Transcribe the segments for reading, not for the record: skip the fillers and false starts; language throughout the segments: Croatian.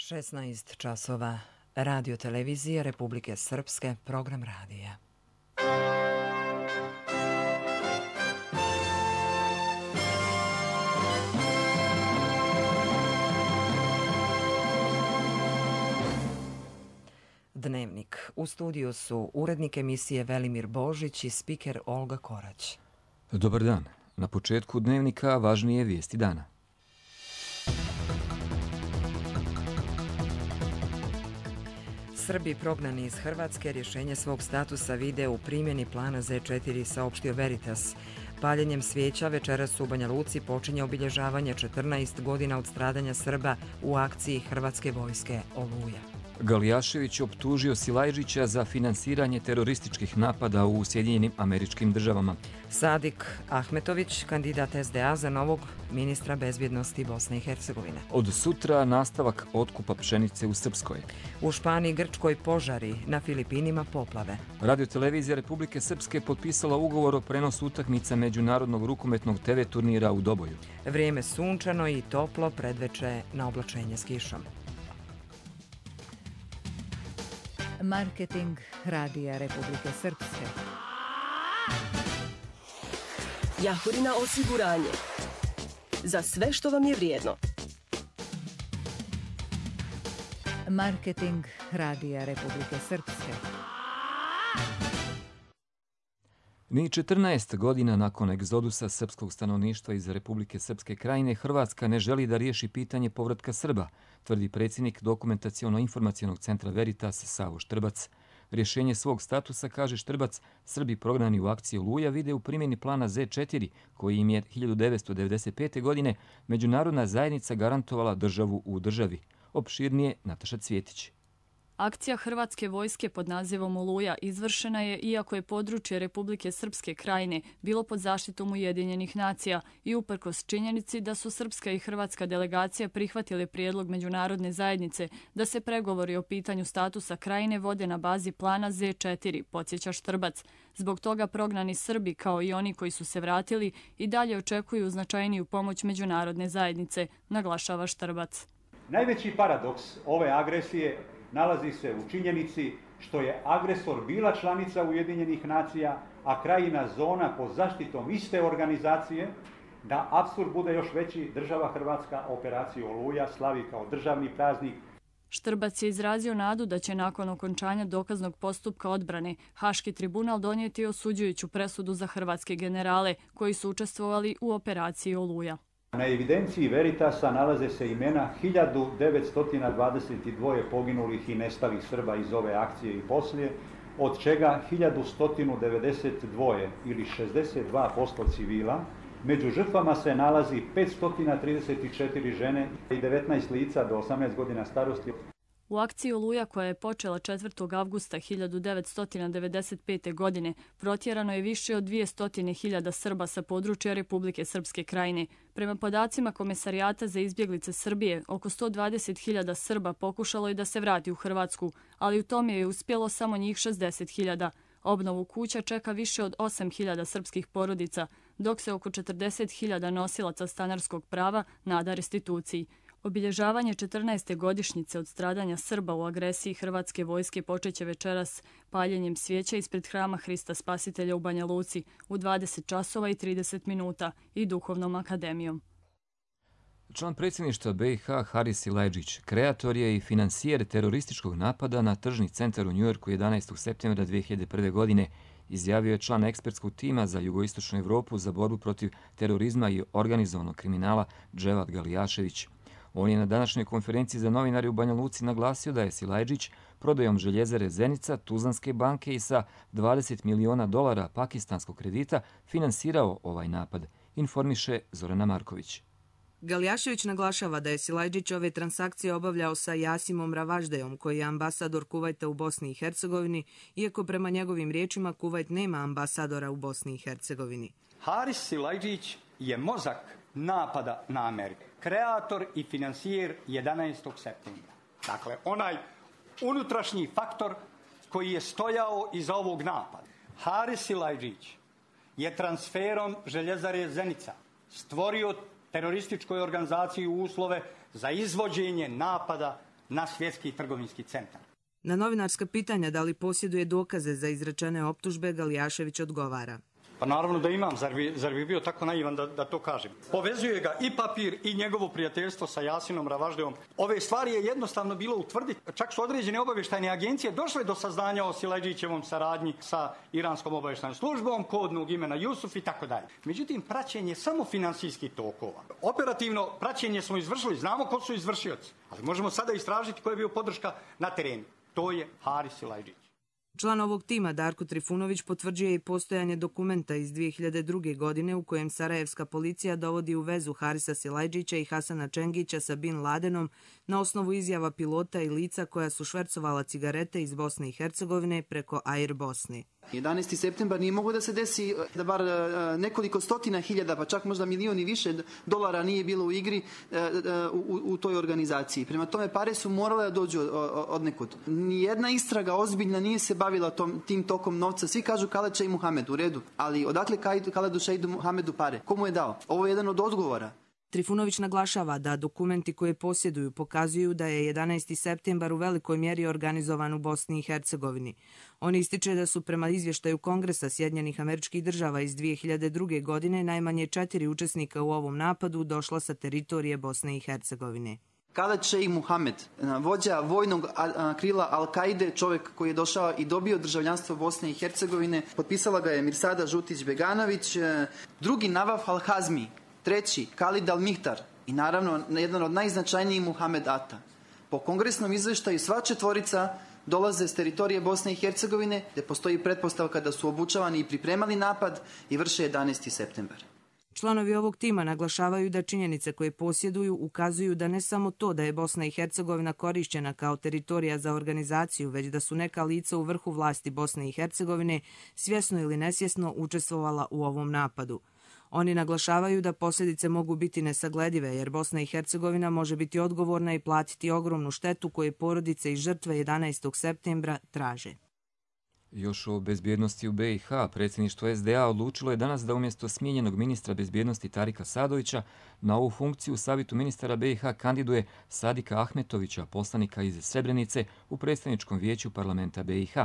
16 časova. Radio televizije Republike Srpske, program radija. Dnevnik. U studiju su urednik emisije Velimir Božić i spiker Olga Korać. Dobar dan. Na početku dnevnika važnije vijesti dana. Srbi prognani iz Hrvatske rješenje svog statusa vide u primjeni plana Z4, saopštio Veritas. Paljenjem svijeća večeras u Banja Luci počinje obilježavanje 14 godina od stradanja Srba u akciji Hrvatske vojske Oluja. Galijašević optužio Silajđića za finansiranje terorističkih napada u Sjedinjenim Američkim Državama. Sadik Ahmetović, kandidat SDA za novog ministra bezbjednosti Bosne i Hercegovine. Od sutra nastavak otkupa pšenice u Srpskoj. U Španiji, Grčkoj požari, na Filipinima poplave. Radiotelevizija Republike Srpske potpisala ugovor o prenosu utakmica međunarodnog rukometnog TV turnira u Doboju. Vrijeme sunčano i toplo, predveče na oblačenje s kišom. Marketing Radija Republike Srpske. Jahorina osiguranje. Za sve što vam je vrijedno. Marketing Radija Republike Srpske. Ni 14 godina nakon egzodusa srpskog stanovništva iz Republike Srpske krajine, Hrvatska ne želi da riješi pitanje povratka Srba, tvrdi predsjednik Dokumentaciono-informacionog centra Veritas Savo Štrbac. Rješenje svog statusa, kaže Štrbac, Srbi prognani u akciji Oluja vide u primjeni plana Z4, koji im je 1995. godine međunarodna zajednica garantovala državu u državi. Opširnije Nataša Cvjetić. Akcija Hrvatske vojske pod nazivom Oluja izvršena je iako je područje Republike Srpske krajine bilo pod zaštitom Ujedinjenih nacija i uprkos činjenici da su srpska i hrvatska delegacija prihvatile prijedlog međunarodne zajednice da se pregovori o pitanju statusa krajine vode na bazi plana Z4, podsjeća Štrbac. Zbog toga prognani Srbi, kao i oni koji su se vratili, i dalje očekuju značajniju pomoć međunarodne zajednice, naglašava Štrbac. Najveći paradoks ove agresije nalazi se u činjenici što je agresor bila članica Ujedinjenih nacija, a krajina zona pod zaštitom iste organizacije, da apsurd bude još veći, država Hrvatska operaciju Oluja slavi kao državni praznik. Štrbac je izrazio nadu da će nakon okončanja dokaznog postupka odbrane Haški tribunal donijeti osuđujuću presudu za hrvatske generale koji su učestvovali u operaciji Oluja. Na evidenciji Veritasa nalaze se imena 1922 poginulih i nestalih Srba iz ove akcije i poslije, od čega 1192 ili 62% civila. Među žrtvama se nalazi 534 žene i 19 lica do 18 godina starosti. U akciji Oluja, koja je počela 4. avgusta 1995. godine, protjerano je više od 200.000 Srba sa područja Republike Srpske krajine. Prema podacima Komesarijata za izbjeglice Srbije, oko 120.000 Srba pokušalo je da se vrati u Hrvatsku, ali u tome je uspjelo samo njih 60.000. Obnovu kuća čeka više od 8.000 srpskih porodica, dok se oko 40.000 nosilaca stanarskog prava nada restituciji. Obilježavanje 14. godišnjice od stradanja Srba u agresiji Hrvatske vojske počeće večeras paljenjem svijeća ispred hrama Hrista Spasitelja u Banja Luci u 20 časova i 30 minuta i Duhovnom akademijom. Član predsjedništva BiH Haris Silajđić, kreator je i financijer terorističkog napada na tržni centar u Njujorku 11. septembra 2001. godine, izjavio je član ekspertskog tima za jugoistočnu Evropu za borbu protiv terorizma i organizovanog kriminala Dževat Galijašević. On je na današnjoj konferenciji za novinare u Banja Luci naglasio da je Silajđić prodajom željezare Zenica, Tuzlanske banke i sa $20 miliona pakistanskog kredita finansirao ovaj napad, informiše Zorana Marković. Galijašević naglašava da je Silajđić ove transakcije obavljao sa Jasimom Ravaždejom, koji je ambasador Kuvajta u Bosni i Hercegovini, iako prema njegovim riječima Kuvajt nema ambasadora u Bosni i Hercegovini. Haris Silajđić je mozak napada na Ameriku, kreator i financijer 11. septembra. Dakle, onaj unutrašnji faktor koji je stojao iza ovog napada. Haris Silajđić je transferom željezare Zenica stvorio terorističkoj organizaciji uslove za izvođenje napada na svjetski trgovinski centar. Na novinarska pitanja da li posjeduje dokaze za izrečene optužbe, Galijašević odgovara. Pa naravno da imam, zar bi bio tako naivan da to kažem. Povezuje ga i papir i njegovo prijateljstvo sa Jasinom Ravaždejom. Ove stvari je jednostavno bilo utvrditi. Čak su određene obavještajne agencije došle do saznanja o Silajdžićevom saradnji sa iranskom obavještajnom službom, kodnog imena Jusuf i tako dalje. Međutim, praćenje samo finansijskih tokova. Operativno praćenje smo izvršili, znamo ko su izvršioci, ali možemo sada istražiti ko je bio podrška na terenu. To je Haris Silajdžić. Član ovog tima Darko Trifunović potvrđuje i postojanje dokumenta iz 2002. godine u kojem sarajevska policija dovodi u vezu Harisa Silajdžića i Hasana Čengića sa Bin Ladenom na osnovu izjava pilota i lica koja su švercovala cigarete iz Bosne i Hercegovine preko Air Bosne. 11. septembar nije moglo da se desi da bar nekoliko stotina hiljada, pa čak možda milioni više dolara nije bilo u igri u toj organizaciji. Prema tome pare su morale da dođu od nekud. Nijedna istraga ozbiljna nije se bavila tim tokom novca. Svi kažu Khaled Sheikh Mohamed, u redu. Ali odakle Khaledu Sheikh Mohamedu pare? Komu je dao? Ovo je jedan od odgovora. Trifunović naglašava da dokumenti koje posjeduju pokazuju da je 11. septembar u velikoj mjeri organizovan u Bosni i Hercegovini. On ističe da su prema izvještaju Kongresa Sjedinjenih Američkih Država iz 2002. godine najmanje 4 učesnika u ovom napadu došla sa teritorije Bosne i Hercegovine. Khaled Sheikh Mohamed, vođa vojnog krila Al-Kaide, čovjek koji je došao i dobio državljanstvo Bosne i Hercegovine, potpisala ga je Mirsada Žutić-Beganović, drugi Navaf Al-Hazmi, treći Khalid Al-Mihtar i naravno jedan od najznačajnijih Muhammed Ata. Po kongresnom izveštaju sva četvorica dolaze s teritorije Bosne i Hercegovine, gdje postoji pretpostavka da su obučavani i pripremali napad i vrše 11. septembar. Članovi ovog tima naglašavaju da činjenice koje posjeduju ukazuju da ne samo to da je Bosna i Hercegovina korišćena kao teritorija za organizaciju, već da su neka lica u vrhu vlasti Bosne i Hercegovine svjesno ili nesvjesno učestvovala u ovom napadu. Oni naglašavaju da posljedice mogu biti nesagledive jer Bosna i Hercegovina može biti odgovorna i platiti ogromnu štetu koje porodice i žrtve 11. septembra traže. Još o bezbjednosti u BiH, predsjedništvo SDA odlučilo je danas da umjesto smijenjenog ministra bezbjednosti Tarika Sadovića na ovu funkciju u Savjetu ministara BiH kandiduje Sadika Ahmetovića, poslanika iz Srebrenice u predstavničkom vijeću parlamenta BiH.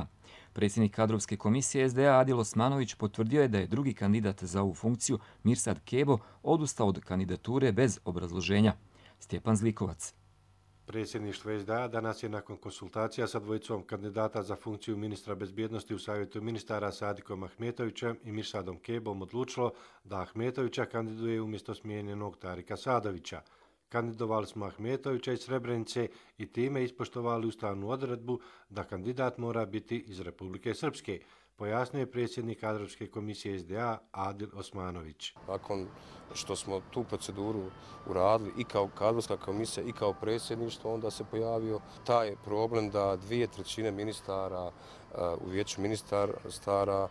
Predsjednik kadrovske komisije SDA Adil Osmanović potvrdio je da je drugi kandidat za ovu funkciju, Mirsad Kebo, odustao od kandidature bez obrazloženja. Stjepan Zlikovac. Predsjedništvo SDA danas je nakon konsultacija sa dvojicom kandidata za funkciju ministra bezbjednosti u Savjetu ministara Sadikom Ahmetovićem i Mirsadom Kebom odlučilo da Ahmetovića kandiduje umjesto smijenjenog Tarika Sadovića. Kandidovali smo Ahmetovića iz Srebrenice i time ispoštovali ustavnu odredbu da kandidat mora biti iz Republike Srpske, pojasnio je predsjednik kadrovske komisije SDA Adil Osmanović. Nakon što smo tu proceduru uradili i kao kadrovska komisija i kao predsjedništvo, onda se pojavio taj problem da 2/3 ministara u vijeću ministara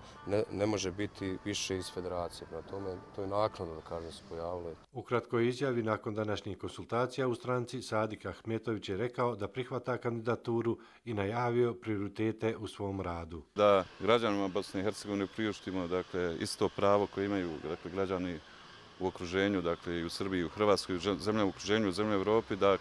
ne može biti više iz federacije. Prema tome, to je naknadno, da kažem, se pojavilo. U kratkoj izjavi nakon današnjih konsultacija u stranci, Sadik Ahmetović je rekao da prihvata kandidaturu i najavio prioritete u svom radu. Da građanima Bosne i Hercegovine priuštimo isto pravo koje imaju građani u okruženju, i u Srbiji, i u Hrvatskoj, zemlje u okruženju, u zemlje u Evropi, da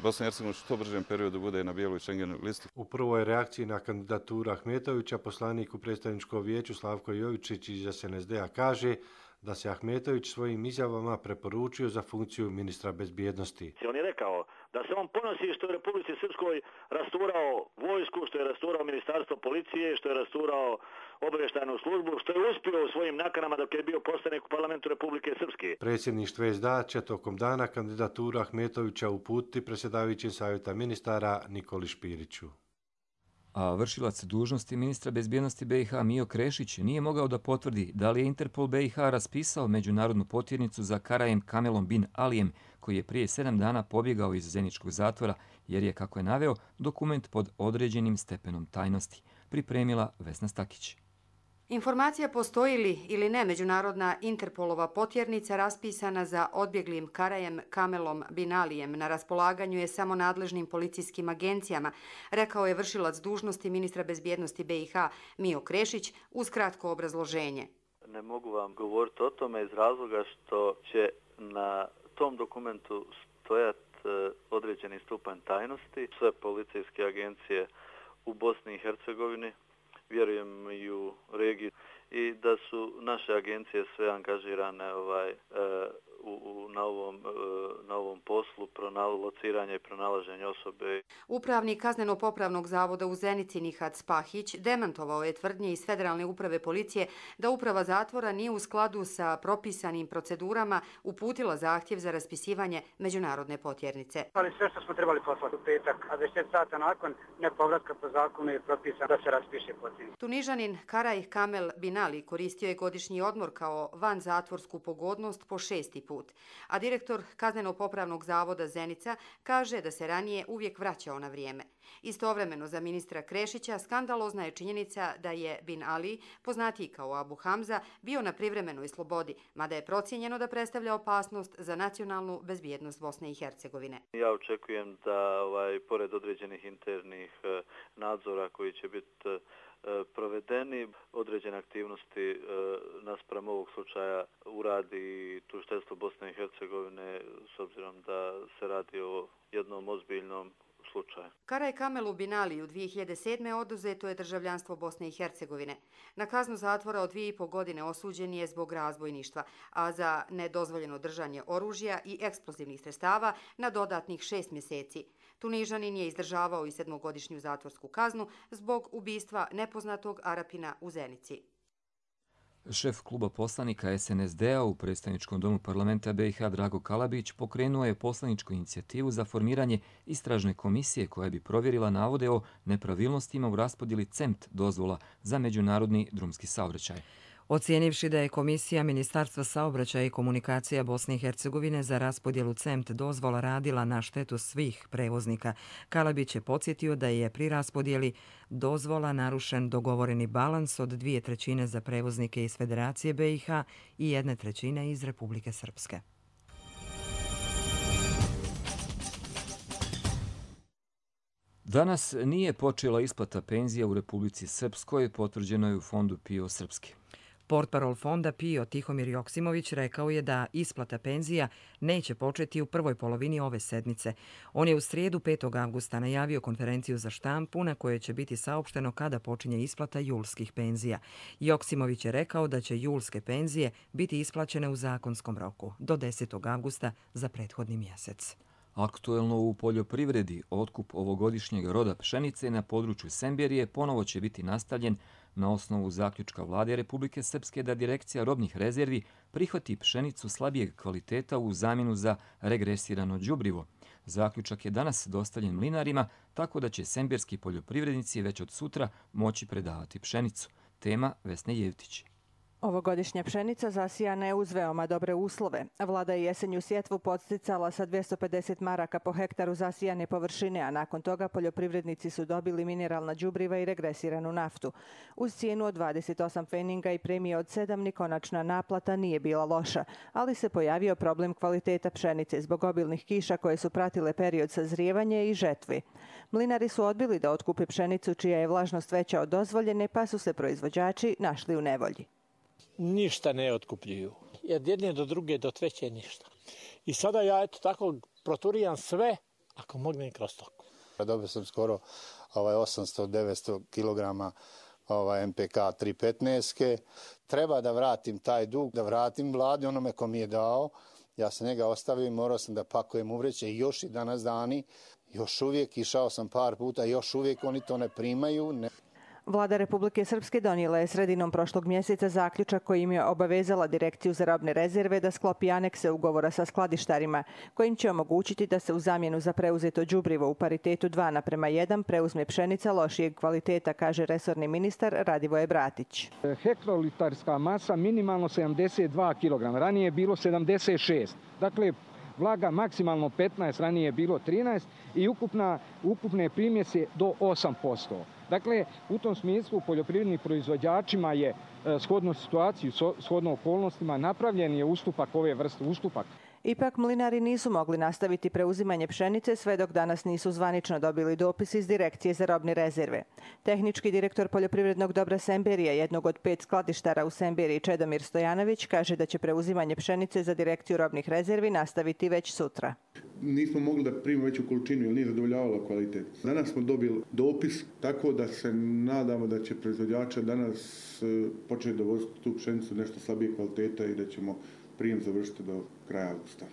Bosna i Hercegovina u što bržem periodu bude na bijeloj Schengen listi. U prvoj reakciji na kandidaturu Ahmetovića poslanik u predstavničkom vijeću Slavko Jovičić iz SNSD-a kaže da se Ahmetović svojim izjavama preporučio za funkciju ministra bezbjednosti. On je rekao da se on ponosi što je u Republici Srpskoj rasturao vojsku, što je rasturao ministarstvo policije, što je rasturao obavještajnu službu, što je uspio u svojim nakanama dok je bio poslanik u parlamentu Republike Srpske. Predsjedništvo SDA će tokom dana kandidaturu Ahmetovića uputiti predsjedavajućem Savjeta ministara Nikoli Špiriću. A vršilac dužnosti ministra bezbjednosti BiH Mijo Krešić nije mogao da potvrdi da li je Interpol BiH raspisao međunarodnu potjernicu za Karajem Kamelom bin Alijem, koji je prije 7 dana pobjegao iz zeničkog zatvora, jer je, kako je naveo, dokument pod određenim stepenom tajnosti. Pripremila Vesna Stakić. Informacija postoji li ili ne međunarodna Interpolova potjernica raspisana za odbjeglim Karajem Kamelom bin Alijem na raspolaganju je samo nadležnim policijskim agencijama, rekao je vršilac dužnosti ministra bezbjednosti BiH Mijo Krešić uz kratko obrazloženje. Ne mogu vam govoriti o tome iz razloga što će na tom dokumentu stojati određeni stupanj tajnosti. Sve policijske agencije u Bosni i Hercegovini, vjerujem i u regiji, i da su naše agencije sve angažirane na ovom poslu lociranja i pronalaženja osobe. Upravnik Kazneno-popravnog zavoda u Zenici Nihat Spahić demantovao je tvrdnje iz Federalne uprave policije da uprava zatvora nije u skladu sa propisanim procedurama uputila zahtjev za raspisivanje međunarodne potjernice. Ali sve što smo trebali poslati u petak, a 10 sata nakon nepovratka po zakonu je propisano da se raspiše potjernica. Tunižanin Karaj Kamel Binali koristio je godišnji odmor kao vanzatvorsku pogodnost po 6. put, a direktor Kazneno-popravnog zavoda Zenica kaže da se ranije uvijek vraćao na vrijeme. Istovremeno za ministra Krešića skandalozna je činjenica da je Bin Ali, poznatiji kao Abu Hamza, bio na privremenoj slobodi, mada je procijenjeno da predstavlja opasnost za nacionalnu bezbjednost Bosne i Hercegovine. Ja očekujem da pored određenih internih nadzora koji će biti provedeni, određene aktivnosti naspram ovog slučaja uradi tužiteljstvo Bosne i Hercegovine, s obzirom da se radi o jednom ozbiljnom slučaju. Karaj Kamelu Binaliju 2007. oduzeto je državljanstvo Bosne i Hercegovine. Na kaznu zatvora od 2,5 godine osuđen je zbog razbojništva, a za nedozvoljeno držanje oružja i eksplozivnih sredstava na dodatnih 6 mjeseci. Tunižanin je izdržavao i 7-godišnju zatvorsku kaznu zbog ubistva nepoznatog Arapina u Zenici. Šef kluba poslanika SNSD-a u predstavničkom domu parlamenta BiH Drago Kalabić pokrenuo je poslaničku inicijativu za formiranje istražne komisije koja bi provjerila navode o nepravilnostima u raspodjeli CEMT dozvola za međunarodni drumski saobraćaj. Ocijenivši da je Komisija Ministarstva saobraćaja i komunikacija Bosne i Hercegovine za raspodjelu CEMT dozvola radila na štetu svih prevoznika, Kalabić je podsjetio da je pri raspodjeli dozvola narušen dogovoreni balans od 2/3 za prevoznike iz Federacije BiH i 1/3 iz Republike Srpske. Danas nije počela isplata penzija u Republici Srpskoj, potvrđeno je u fondu PIO Srpski. Portparol fonda PIO Tihomir Joksimović rekao je da isplata penzija neće početi u prvoj polovini ove sedmice. On je u srijedu 5. avgusta najavio konferenciju za štampu na kojoj će biti saopšteno kada počinje isplata julskih penzija. Joksimović je rekao da će julske penzije biti isplaćene u zakonskom roku do 10. avgusta za prethodni mjesec. Aktuelno u poljoprivredi otkup ovogodišnjeg roda pšenice na području Semberije ponovo će biti nastavljen na osnovu zaključka Vlade Republike Srpske da Direkcija robnih rezervi prihvati pšenicu slabijeg kvaliteta u zamjenu za regresirano đubrivo. Zaključak je danas dostavljen mlinarima, tako da će semberski poljoprivrednici već od sutra moći predavati pšenicu. Tema Vesne Jevtić. Ovogodišnja pšenica zasijana je uz veoma dobre uslove. Vlada je jesenju sjetvu podsticala sa 250 maraka po hektaru zasijane površine, a nakon toga poljoprivrednici su dobili mineralna đubriva i regresiranu naftu. Uz cijenu od 28 pfeninga i premije od 7 ni konačna naplata nije bila loša, ali se pojavio problem kvaliteta pšenice zbog obilnih kiša koje su pratile period sazrijevanja i žetve. Mlinari su odbili da otkupe pšenicu čija je vlažnost veća od dozvoljene, pa su se proizvođači našli u nevolji. Ništa ne otkupljuju. Od jedne do druge do treće ništa. I sada ja tako proturijam sve ako mogne i kroz toku. Dobio sam skoro 800-900 kg MPK 315. Treba da vratim taj dug, da vratim vladi onome ko mi je dao. Ja sam njega ostavio i morao sam da pakujem uvreće i još i danas dani. Još uvijek išao sam par puta, još uvijek oni to ne primaju. Vlada Republike Srpske donijela je sredinom prošlog mjeseca zaključak kojim je obavezala Direkciju za robne rezerve da sklopi anekse ugovora sa skladištarima, kojim će omogućiti da se u zamjenu za preuzeto đubrivo u paritetu 2:1 preuzme pšenica lošijeg kvaliteta, kaže resorni ministar Radivoje Bratić. Hektolitarska masa minimalno 72 kg, ranije je bilo 76. Dakle, vlaga maksimalno 15, ranije je bilo 13 i ukupne primjese do 8%. Dakle, u tom smislu poljoprivrednim proizvođačima je shodno situaciju, shodno okolnostima napravljen je ustupak ove vrste, ustupak. Ipak mlinari nisu mogli nastaviti preuzimanje pšenice sve dok danas nisu zvanično dobili dopis iz Direkcije za robne rezerve. Tehnički direktor poljoprivrednog dobra Semberije, jednog od 5 skladištara u Semberiji, Čedomir Stojanović, kaže da će preuzimanje pšenice za Direkciju robnih rezervi nastaviti već sutra. nismo mogli da primimo veću količinu jer nije zadovoljavalo kvalitet. Danas smo dobili dopis tako da se nadamo da će proizvođača danas početi dovoziti tu pšenicu nešto slabije kvaliteta i da ćemo prijem završiti do kraja avgusta.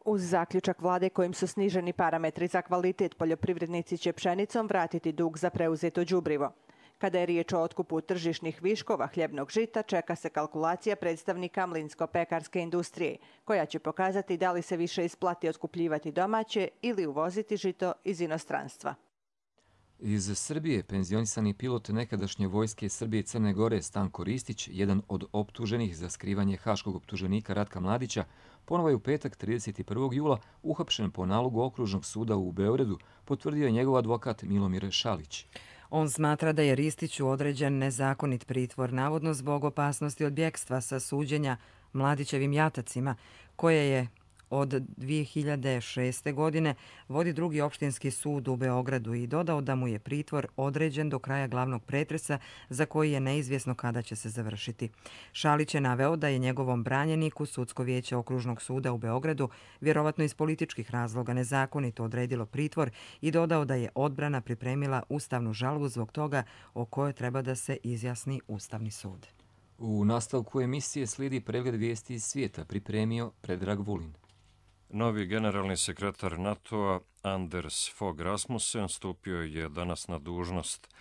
Uz zaključak vlade kojim su sniženi parametri za kvalitet, poljoprivrednici će pšenicom vratiti dug za preuzeto đubrivo. Kada je riječ o otkupu tržišnih viškova hljebnog žita, čeka se kalkulacija predstavnika mlinsko-pekarske industrije, koja će pokazati da li se više isplati otkupljivati domaće ili uvoziti žito iz inostranstva. Iz Srbije penzionisani pilot nekadašnje vojske Srbije i Crne Gore Stanko Ristić, jedan od optuženih za skrivanje haškog optuženika Ratka Mladića, ponovo je u petak 31. jula uhapšen po nalogu Okružnog suda u Beogradu, potvrdio je njegov advokat Milomir Šalić. On smatra da je Ristiću određen nezakonit pritvor, navodno zbog opasnosti od bjekstva sa suđenja Mladićevim jatacima, koje je od 2006. godine vodi drugi opštinski sud u Beogradu i dodao da mu je pritvor određen do kraja glavnog pretresa za koji je neizvjesno kada će se završiti. Šalić je naveo da je njegovom branjeniku Sudsko vijeće Okružnog suda u Beogradu vjerovatno iz političkih razloga nezakonito odredilo pritvor i dodao da je odbrana pripremila ustavnu žalbu zbog toga o kojoj treba da se izjasni Ustavni sud. U nastavku emisije slijedi pregled vijesti iz svijeta, pripremio Predrag Vulin. Novi generalni sekretar NATO-a Anders Fogh Rasmussen stupio je danas na dužnost,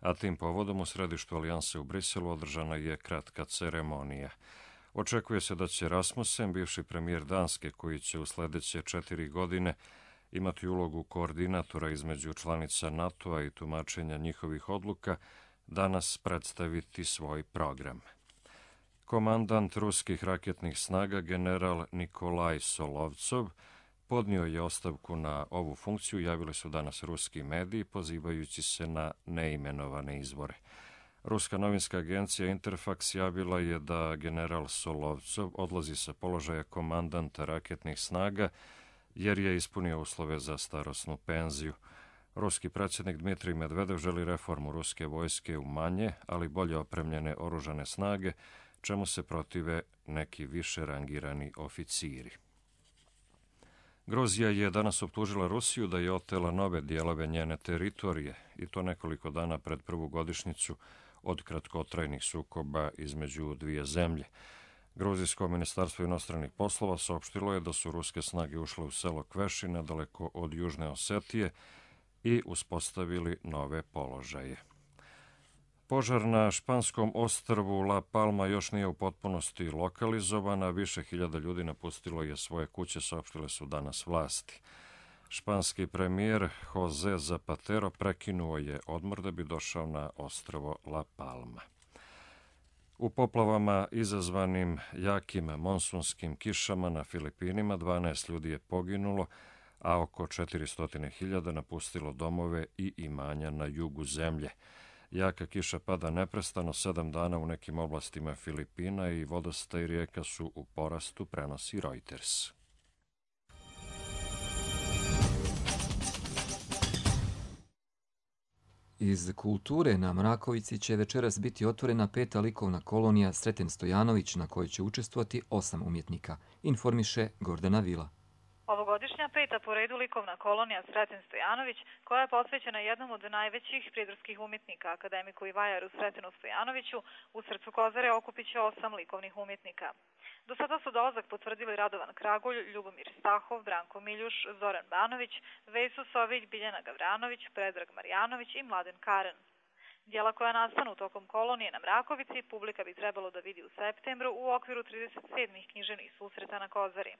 a tim povodom u središtu Alijanse u Briselu održana je kratka ceremonija. Očekuje se da će Rasmussen, bivši premijer Danske, koji će u sljedeće 4 godine imati ulogu koordinatora između članica NATO-a i tumačenja njihovih odluka, danas predstaviti svoj program. Komandant ruskih raketnih snaga general Nikolaj Solovcov podnio je ostavku na ovu funkciju, javili su danas ruski mediji pozivajući se na neimenovane izvore. Ruska novinska agencija Interfax javila je da general Solovcov odlazi sa položaja komandanta raketnih snaga jer je ispunio uslove za starosnu penziju. Ruski predsjednik Dmitrij Medvedev želi reformu ruske vojske u manje, ali bolje opremljene oružane snage, čemu se protive neki više rangirani oficiri. Gruzija je danas optužila Rusiju da je otela nove dijelove njene teritorije, i to nekoliko dana pred prvu godišnjicu od kratkotrajnih sukoba između dvije zemlje. Gruzijsko ministarstvo inostranih poslova saopštilo je da su ruske snage ušle u selo Kveši, nedaleko od Južne Osetije, i uspostavili nove položaje. Požar na španskom ostrvu La Palma još nije u potpunosti lokalizovana, više hiljada ljudi napustilo je svoje kuće, saopštile su danas vlasti. Španski premijer Jose Zapatero prekinuo je odmor da bi došao na ostrvo La Palma. U poplavama izazvanim jakim monsunskim kišama na Filipinima 12 ljudi je poginulo, a oko 400.000 napustilo domove i imanja na jugu zemlje. Jaka kiša pada neprestano 7 dana u nekim oblastima Filipina i vodostaj rijeka su u porastu, prenosi Reuters. Iz kulture na Mrakovici će večeras biti otvorena 5. likovna kolonija Sreten Stojanović, na kojoj će učestvovati 8 umjetnika, informiše Gordana Vila. Ovogodišnja 5. po redu likovna kolonija Sreten Stojanović, koja je posvećena jednom od najvećih pridruskih umjetnika, akademiku i vajaru Sretenu Stojanoviću, u srcu Kozare okupit će 8 likovnih umjetnika. Do sada su dolazak potvrdili Radovan Kragulj, Ljubomir Stahov, Branko Miljuš, Zoran Banović, Veso Sović, Biljana Gavranović, Predrag Marjanović i Mladen Karen. Dijela koja nastanu tokom kolonije na Mrakovici publika bi trebalo da vidi u septembru u okviru 37. književnih susreta na Kozari.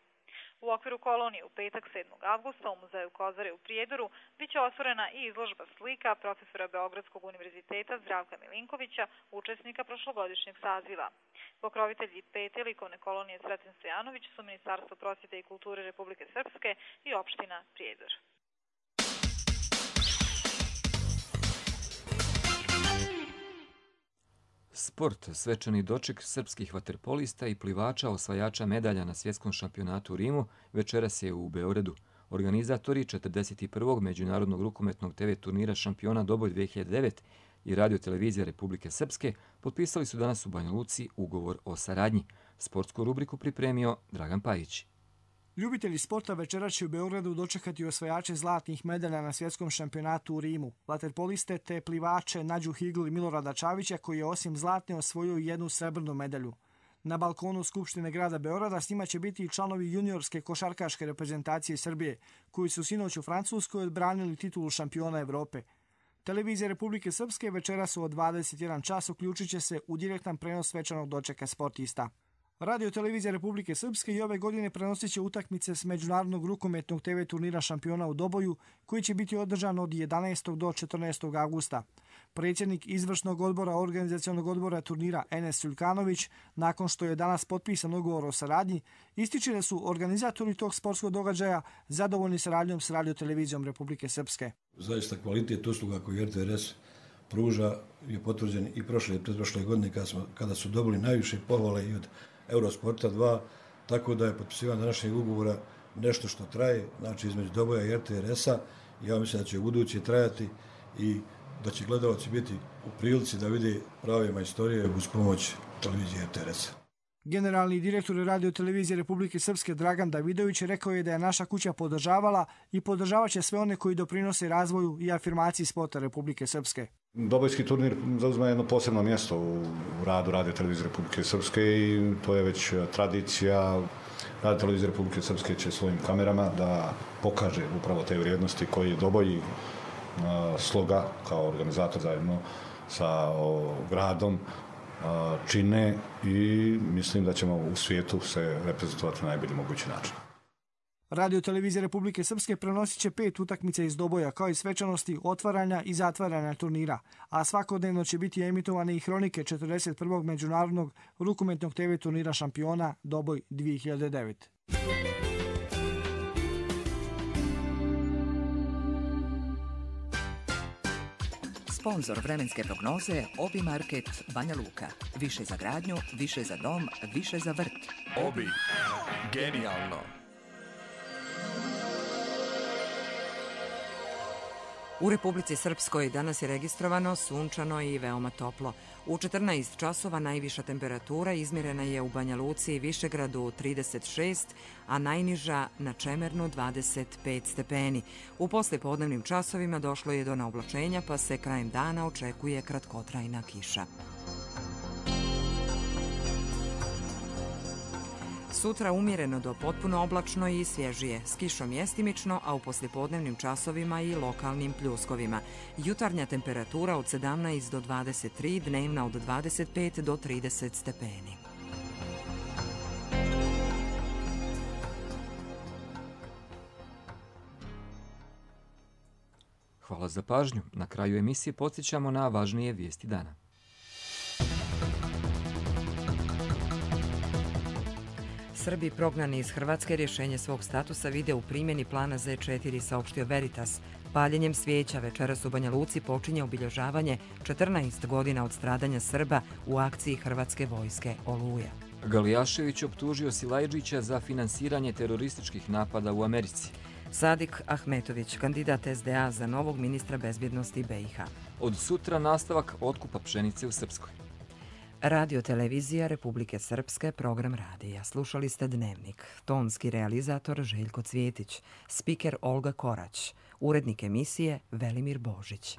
U okviru kolonije u petak 7. avgusta u muzeju Kozare u Prijedoru biće otvorena i izložba slika profesora Beogradskog univerziteta Zdravka Milinkovića, učesnika prošlogodišnjeg saziva. Pokrovitelji 5. likovne kolonije Sreten Stojanović su Ministarstvo prosvjete i kulture Republike Srpske i opština Prijedor. Sport, svečani doček srpskih vaterpolista i plivača osvajača medalja na svjetskom šampionatu u Rimu večeras je u Beogradu. Organizatori 41. međunarodnog rukometnog TV turnira Šampiona Doboj 2009 i Radio-televizija Republike Srpske potpisali su danas u Banja Luci ugovor o saradnji. Sportsku rubriku pripremio Dragan Pajić. Ljubitelji sporta večeras će u Beogradu dočekati osvajače zlatnih medalja na svjetskom šampionatu u Rimu, vaterpoliste te plivače Nađu Higl i Milorada Čavića, koji je osim zlatne osvojio jednu srebrnu medalju. Na balkonu Skupštine grada Beograda s njima će biti i članovi juniorske košarkaške reprezentacije Srbije, koji su sinoć u Francuskoj odbranili titulu šampiona Evrope. Televizija Republike Srpske večeras od 21 čas uključit će se u direktan prenos svečanog dočeka sportista. Radio televizija Republike Srpske i ove godine prenosit će utakmice s međunarodnog rukometnog TV turnira šampiona u Doboju, koji će biti održan od 11. do 14. augusta. Predsjednik izvršnog odbora organizacionog odbora turnira Enes Suljkanović, nakon što je danas potpisan ugovor o saradnji, ističe da su organizatori tog sportskog događaja zadovoljni saradnjom s Radio televizijom Republike Srpske. Zaista kvalitet usluga koju RTRS pruža je potvrđen i prošle i pretprošle godine kada su dobili najviše pohvale i od Eurosporta 2, tako da je potpisivanje današnjeg ugovora nešto što traje, znači između Doboja i RTRS-a. Ja mislim da će u buduće trajati i da će gledalci biti u prilici da vide prave majstorije uz pomoć televizije RTRS-a. Generalni direktor Radio televizije Republike Srpske Dragan Davidović rekao je da je naša kuća podržavala i podržavat će sve one koji doprinose razvoju i afirmaciji sporta Republike Srpske. Dobojski turnir zauzima jedno posebno mjesto u radu Radio televizije Republike Srpske i to je već tradicija. Radio televizija Republike Srpske će svojim kamerama da pokaže upravo te vrijednosti koje Doboj Sloga kao organizator zajedno sa gradom čine i mislim da ćemo u svijetu se reprezentovati na najbolji mogući način. Radio televizija Republike Srpske prenosit će 5 utakmica iz Doboja, kao i svečanosti otvaranja i zatvaranja turnira, a svakodnevno će biti emitovane i hronike 41. međunarodnog rukometnog TV turnira šampiona Doboj 2009. Sponzor vremenske prognoze Obi Market Banja Luka. Više za gradnju, više za dom, više za vrt. Obi. Genijalno. U Republici Srpskoj danas je registrovano sunčano i veoma toplo. U 14 časova najviša temperatura izmjerena je u Banja Luci i Višegradu 36, a najniža na Čemernu 25 stepeni. U poslijepodnevnim časovima došlo je do naoblačenja, pa se krajem dana očekuje kratkotrajna kiša. Sutra umjereno do potpuno oblačno i svježije, s kišom mjestimično, a u poslijepodnevnim časovima i lokalnim pljuskovima. Jutarnja temperatura od 17 do 23, dnevna od 25 do 30 stepeni. Hvala za pažnju. Na kraju emisije podsjećamo na važnije vijesti dana. Srbi prognani iz Hrvatske rješenje svog statusa vide u primjeni plana Z4, saopštio Veritas. Paljenjem svijeća večeras u Banja Luci počinje obilježavanje 14 godina od stradanja Srba u akciji Hrvatske vojske Oluja. Galijašević optužio Silajdžića za finansiranje terorističkih napada u Americi. Sadik Ahmetović, kandidat SDA za novog ministra bezbjednosti BiH. Od sutra nastavak otkupa pšenice u Srpskoj. Radio televizija Republike Srpske, program radija. Slušali ste Dnevnik. Tonski realizator Željko Cvjetić. Spiker Olga Korać. Urednik emisije Velimir Božić.